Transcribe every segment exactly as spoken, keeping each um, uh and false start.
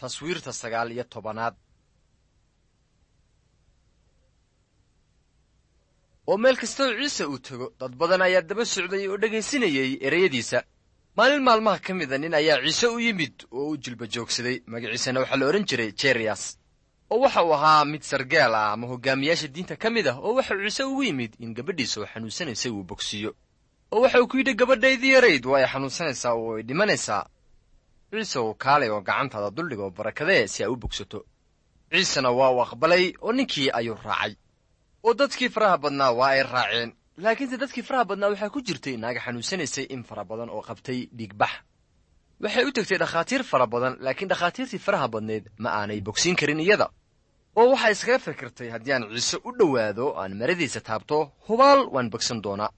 Taswiirta sagaal iyo tobanaad. Oo meel kastoo Ciise uu tego, dad badan ayaa daba socday oo dhegaysinayay ereyadiisa. Maalin maalmaha ka mida nin ayaa Ciise u yimid oo u jilba joogsaday. Magaciisana waxaa la odhan jiray Jeriyas, oo waxa uu ahaa mid sargaal ah ama hogaamiyaasha diinta ka mid ah, oo waxau Ciise ugu yimid in gabadhiisa oo xanuunsanaysay uu bogsiiyo. Oo waxa uu ku yidhi, gabadhaydii yarayd waa ay xanuunsanaysaa oo ay dhimanaysaa. Ciise uu kaalay oo gacantaada duldhig oo barakadee si ay u bogsato. Ciisena waa uu aqbalay oo ninkii ayuu raacay, oo dadkii faraha badnaa waa ay raaceen. Laakiinse dadkii faraha badnaa waxaa ku jirtay naaga xanuunsanaysay in fara badan oo qabtay dhiigbax. Waxay u tegtay dhakhaatiir fara badan, laakiin dhakhaatiirtii faraha badnayd ma aanay bogsiin karin iyada. Oo waxay iskaga fikirtay, haddii aan Ciise u dhowaado aan maradiisa taabto, hubaal waan bogsan doonaa.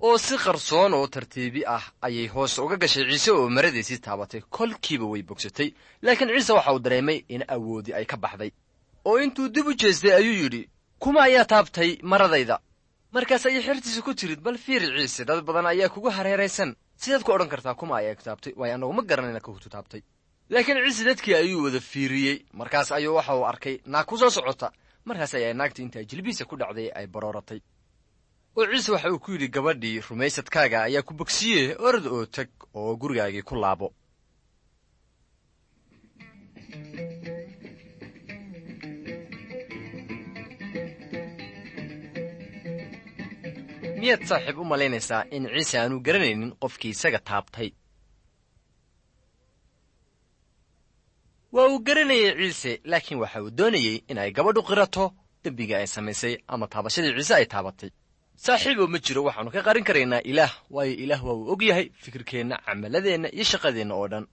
Oo si qarsoon oo tartiibi ah ayay hoos uga gashay Ciise oo maradiisii taabatay. Kolkiiba way bogsatay, laakiin Ciise waxa uu dareemay in awoodii ay ka baxday. Oo intuu dib u jeestay ayuu yidhi, kuma ayaa taabtay maradayda? Markaas ayay xertiisa ku tirid, bal fiiri Ciise, dad badan ayaa kugu hareeraysan, sidaad ku odhan kartaa kuma ayaa taabtay? Waayo annagu ma garanayna kahutu taabtay. Laakiin Ciise dadkii ayuu wada fiiriyey. Markaas ayuu waxa uu arkay naag ku soo socota. Markaas ayaa naagtii intaa jilbihiisa ku dhacday ay barooratay. Oo Ciise waxa uu ku yidhi gabadhii, rumaysadkaaga ayaa ku bogsiiye, orod oo tag oo gurigaagii ku laabo. Miyaad saaxiib u malaynaysaa in Ciise aanu garanaynin qofkii isaga taabtay? Waa uu garanayay Ciise, laakiin waxa uu doonayey in ay gabadhu qirato dembiga ay samaysay ama taabashadii Ciise ay taabatay. Saaxiibow, ma jiro waxaannu ka qarin karaynaa Ilaah, waayo Ilaah waa uu og yahay fikirkeenna, camaladeenna iyo shaqadeenna oo dhan.